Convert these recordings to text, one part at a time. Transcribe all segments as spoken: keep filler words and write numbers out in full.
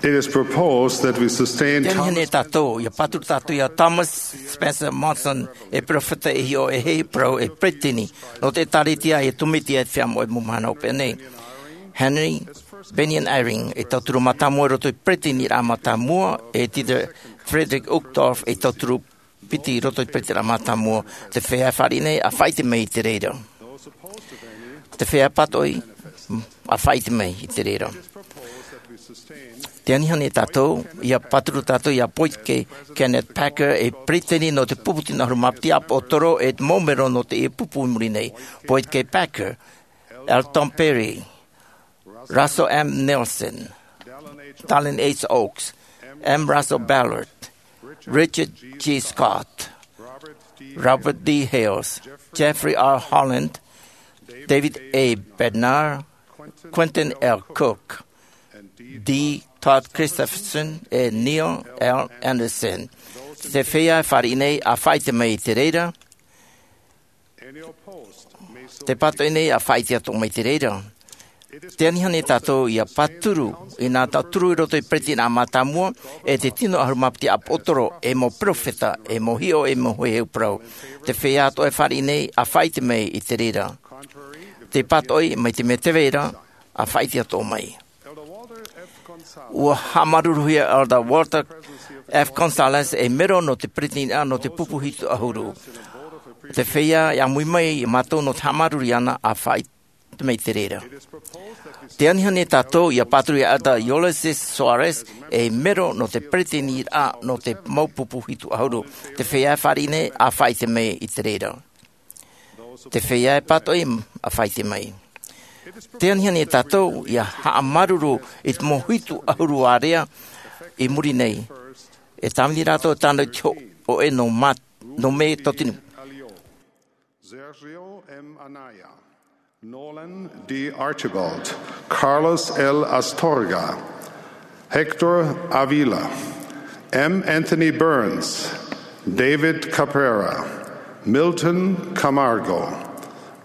It is proposed that we sustain Tēnei Thomas nei tātou, ia pāturu tātou ia Thomas Spencer Monson, e peropheta, e hiʻo, e heheu parau, e peretiteni nō te ʻĒtārētia, e tōmite e te feiā moʻe mau mahana hopeʻa nei. Henry Bennion Eyring, e tauturu mātāmua i roto i te peretiteniraʻa mātāmua, e Dieter Friedrich Uchtdorf, e tauturu piti i roto i te peretiteniraʻa mātāmua. Te feiā e fāriʻi nei, ʻa faʻaʻite mai i te reira. Te feiā e pātoʻi, ʻa faʻaʻite mai i te reira. Tē anihia nei tātou, ia pāturu tātou ia Boyd K. Kenneth Packer, e peretiteni nō te pupu tino ʻahuru mā piti ʻāpoʻotoro, e te mau mero nō teie pupu i muri nei. Boyd K. Packer, Elton Perry, Russell M. Nelson, Dallin H. Oaks, M. Russell Ballard, Richard G. Scott, Robert D. Hales, Jeffrey R. Holland, David A. Bednar, Quentin L. Cook, D. Todd Christofferson, e Neil L. Andersen. Te feiā e fāriʻi nei, ʻa faʻaʻite mai i te reira. Tē pātoʻi nei, ʻa faʻaʻite atoʻa mai i te reira. Tē anihia nei tātou ia pāturu, i nā tauturu i roto i te peretiteniraʻa mātāmua, e te tino ʻahuru mā piti ʻāpoʻotoro, e mau peropheta, e mau hiʻo, e mau heheu parau. Te feiā atoʻa e fāriʻi nei, ʻa faʻaʻite mai i te reira. Tē pātoʻi, mai te mea tē vai ra, ʻa faʻaʻite atoʻa mai. ʻUa haʻamāuruuruhia Elder Walter F. Gonzalez, e mero nō te peretiteniraʻa nō te pupu hitu ʻahuru. Te feiā e ʻāmui mai ia mātou nō te haʻamāuruuru iāna, ʻa faʻaʻite mai i te reira. Tē anihia nei tātou ia pāturu ia Elder Ulysses Soares, e mero nō te peretiteniraʻa nō te mau pupu hitu ʻahuru. Te feiā e fāriʻi nei, ʻa faʻaʻite mai i te reira. Te feiā e pātoʻi, ʻa faʻaʻite mai. Tē anihia nei tātou ia haʻamāuruuru i te mau hitu ʻahuru ārea i muri nei. E tāvini rātou tāna i te hōʻē nō mā-, nō mē totinu. Sergio M. Anaya, Nolan D. Archibald, Carlos L. Astorga, Hector Avila, M. Anthony Burns, David Cabrera, Milton Camargo,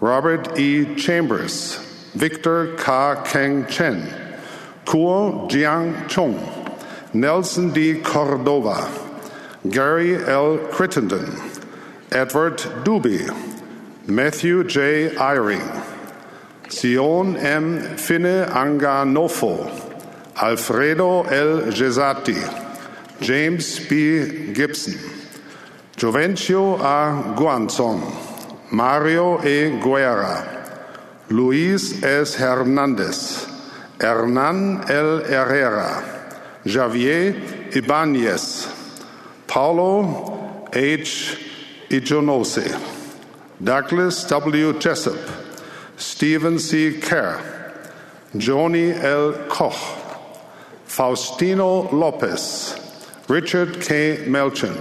Robert E. Chambers, Victor Ka Keng Chen, Kuo Jiang Chung, Nelson D. Cordova, Gary L. Crittenden, Edward Dube, Matthew J. Eyring, Sion M. Fineanganofo, Alfredo L. Gessati, James B. Gibson, Jovencio A. Guanzon, Mario E. Guerra, Luis S. Hernandez, Hernan L. Herrera, Javier Ibañez, Paulo H. Ijonose, Douglas W. Jessup, Stephen C. Kerr, Johnny L. Koch, Faustino Lopez, Richard K. Melchin,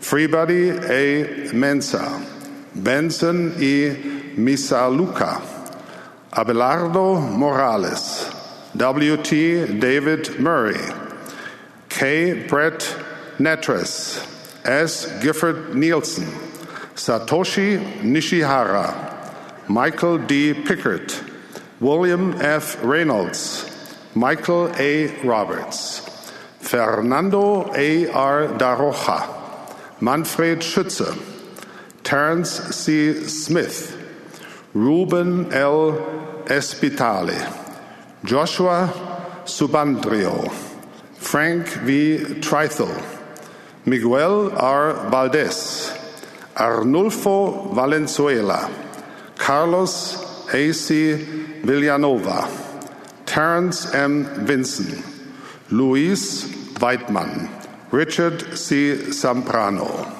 Freebody A. Mensah, Benson E. Misalucha, Abelardo Morales, W. T. David Murray, K. Brett Nattress, S. Gifford Nielsen, Satoshi Nishihara, Michael D. Pickard, William F. Reynolds, Michael A. Roberts, Fernando A. R. Da Rocha, Manfred Schütze, Terence C. Smith, Ruben L. Spitale, Joshua Subandrio, Frank V. Trythall, Miguel R. Valdez, Arnulfo Valenzuela, Carlos A. C. Villanova, Terence M. Vinson, Luis Weidman, Richard C. Zambrano.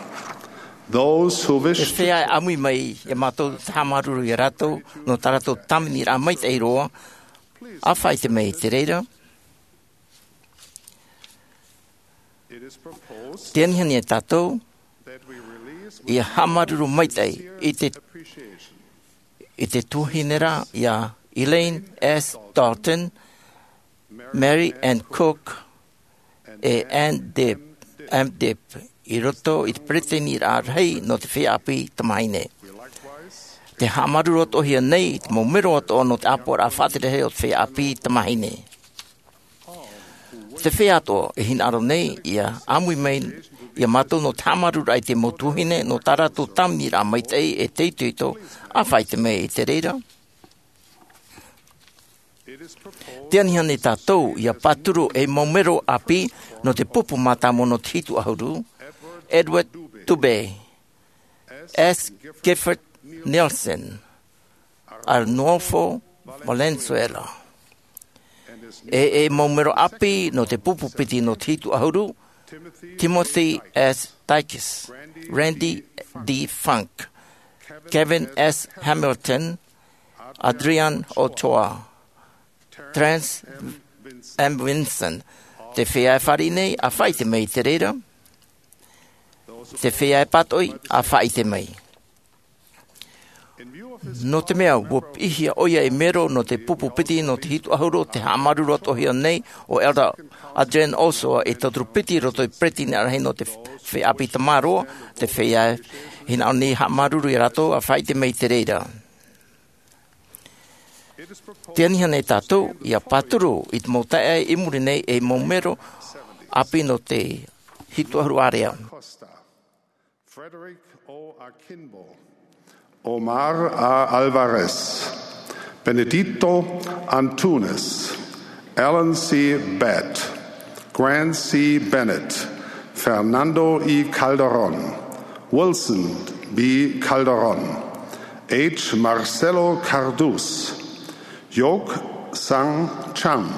Those who wish E to feiā e ʻāmui mai ia mātou te haʻamāuruuru ia rātou, nō tā rātou tāviniraʻa maitaʻi roa, ʻa faʻaʻite mai i te reira. Tē anihia nei tātou ia haʻamāuruuru maitaʻi i te, i te tuahine ra ia Elaine S. Dalton, Mary Ann Cook, e Ann Dibb, Ann Dibb, i roto i te peretiteniraʻa rahi nō te feiā ʻāpī tamāhine. Tē haʻamāuruuru atoʻahia nei i te mau mero atoʻa nō te ʻāpoʻoraʻa faʻatere rahi o te feiā ʻāpī tamāhine. Te feiā atoʻa e hinaʻaro nei ia ʻāmui mai ia mātou nō te haʻamāuruururaʻa i te mau tuahine nō tā rātou tāviniraʻa maitaʻi e te itoito, ʻa faʻaʻite mai i te reira. Te anihia nei tātou ia pāturu ei mau mero ʻāpī nō te pupu mātāmua nō te hitu ʻahuru: Edward Dube, S. Gifford Nielsen, Arnulfo Valenzuela. E ei mau mero ʻāpī nō te pupu piti nō te hitu ʻahuru: Timothy S. Dykes, Randy D. Funk, Kevin S. Hamilton, Adrian Ochoa, Terence M. Vinson. Te feiā e fāriʻi nei, ʻa faʻaʻite mai i te reira. Te feiā e pātoʻi, ʻa faʻaʻite mai. Nō te mea ua piʻihia ʻoia ei mero nō te pupu piti nō te hitu ʻahuru, te haʻamāuruuru atoʻahia nei ʻo Elder Adrian Ochoa ei tauturu piti i roto i te peretiteni ʻārahi nō te feiā ʻāpī tamaroa. Te feiā e hinaʻaro nei haʻamāuruuru ia rātou, ʻa faʻaʻite mai i te reira. Te anihia nei tātou ia pāturu i te mau taeaʻe i muri nei ei mau mero ʻāpī nō te hitu ʻahuru ārea. Frederick O. Akinbo, Omar A. Alvarez, Benedito Antunes, Alan C. Batt, Grant C. Bennett, Fernando E. Calderon, Wilson B. Calderon, H. Marcelo Cardus, Yok Sang Cham,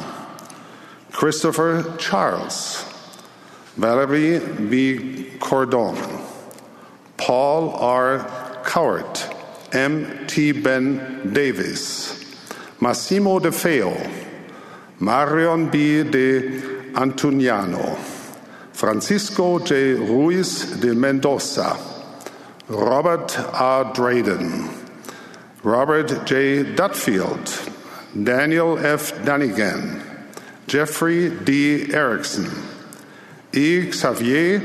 Christopher Charles, Valerie B. Cordon, Paul R. Cowart, M. T. Ben Davis, Massimo De Feo, Marion B. De Antoniano, Francisco J. Ruiz de Mendoza, Robert A. Drayden, Robert J. Dudfield, Daniel F. Dunnigan, Jeffrey D. Erickson, E. Xavier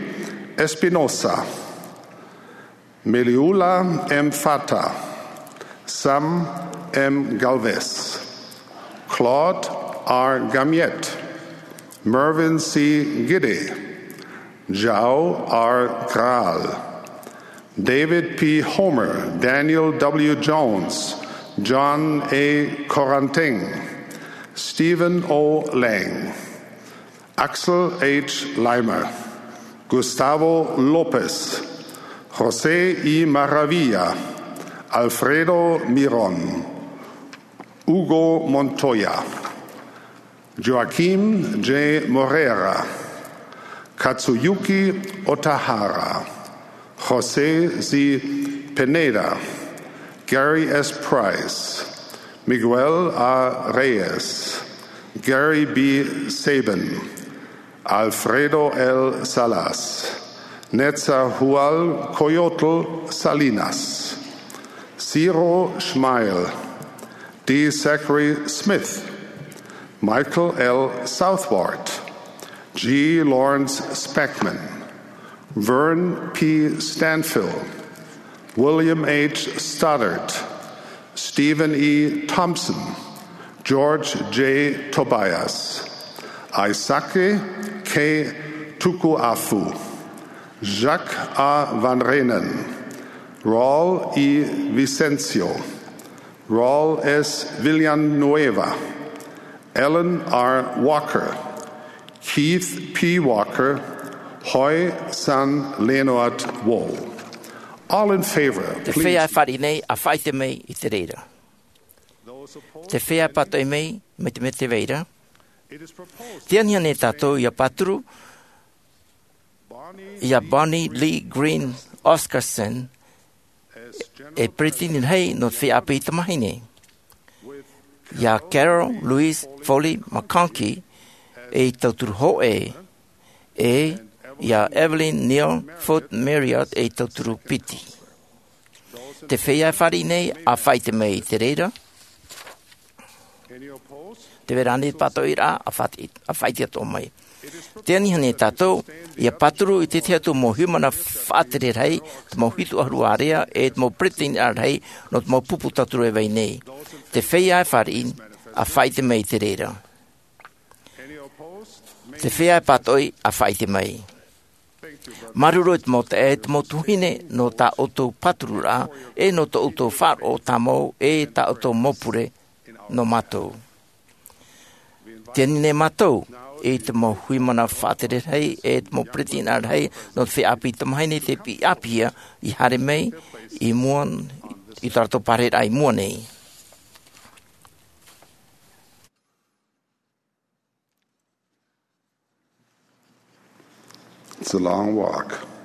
Espinosa, Meliula M. Fata, Sam M. Galvez, Claude R. Gamiette, Mervyn C. Gidde, Jao R. Graal, David P. Homer, Daniel W. Jones, John A. Corantin, Stephen O. Lang, Axel H. Leimer, Gustavo Lopez, José E. Maravilla, Alfredo Miron, Hugo Montoya, Joaquim J. Moreira, Katsuyuki Otahara, José Z. Pineda, Gary S. Price, Miguel A. Reyes, Gary B. Sabin, Alfredo L. Salas, Netzahualcoyotl Salinas, Ciro Schmeil, D. Zachary Smith, Michael L. Southward, G. Lawrence Speckman, Vern P. Stanfill, William H. Stoddard, Stephen E. Thompson, George J. Tobias, Aisake K. Tukuafu, Jacques A. Van Reenen, Raul E. Vicencio, Raul S. Villanueva, Ellen R. Walker, Keith P. Walker, Hoi San Leonard Wall. All in favor, please. Te feiā e fāriʻi nei, ʻa faʻaʻite mai i te reira. Te feiā e pātoʻi mai, mai te mea tē vai ra. Te anihia nei tātou ia pāturu ia Bonnie Lee Green Oscarson ei peretiteni rahi nō te feiā ʻāpī tamāhine, ia Carol Louise Foley McConkie ei tauturu hōʻē, ʻe ia Evelyn Neal Foote Marriott ei tauturu piti. Te feiā e fāriʻi nei, ʻa faʻaʻite mai i te reira. Tē vai ra ānei te pātoʻiraʻa? ʻA faʻaʻite, ʻa faʻaʻite atoʻa mai. Te anihia nei tātou ia pāturu i te tahi atu mau haʻamana faʻatere rahi, te mau hitu ʻahuru ārea, ʻe te mau peretiteni rahi nō te mau pupu tauturu e vai nei. Te feiā e fāriʻi, ʻa faʻaʻite mai i te reira. Te feiā e pātoʻi a faʻaʻite mai. Māuruuru i te mau taeaʻe, te mau tuahine, nō tā ʻoutou pāturuʻraʻa, e nō tō ʻoutou faʻaroʻo tāmau, e tā ʻoutou mau pure nō mātou. Tē ani nei mātou i te mau hui mana faʻatere rahi, e te mau peretiteni rahi, nō te feiā ʻāpī tamāhine tei piʻi ʻāpīhia i haere mai i mua, i tā rātou pārahiraʻa i mua nei. It's a long walk.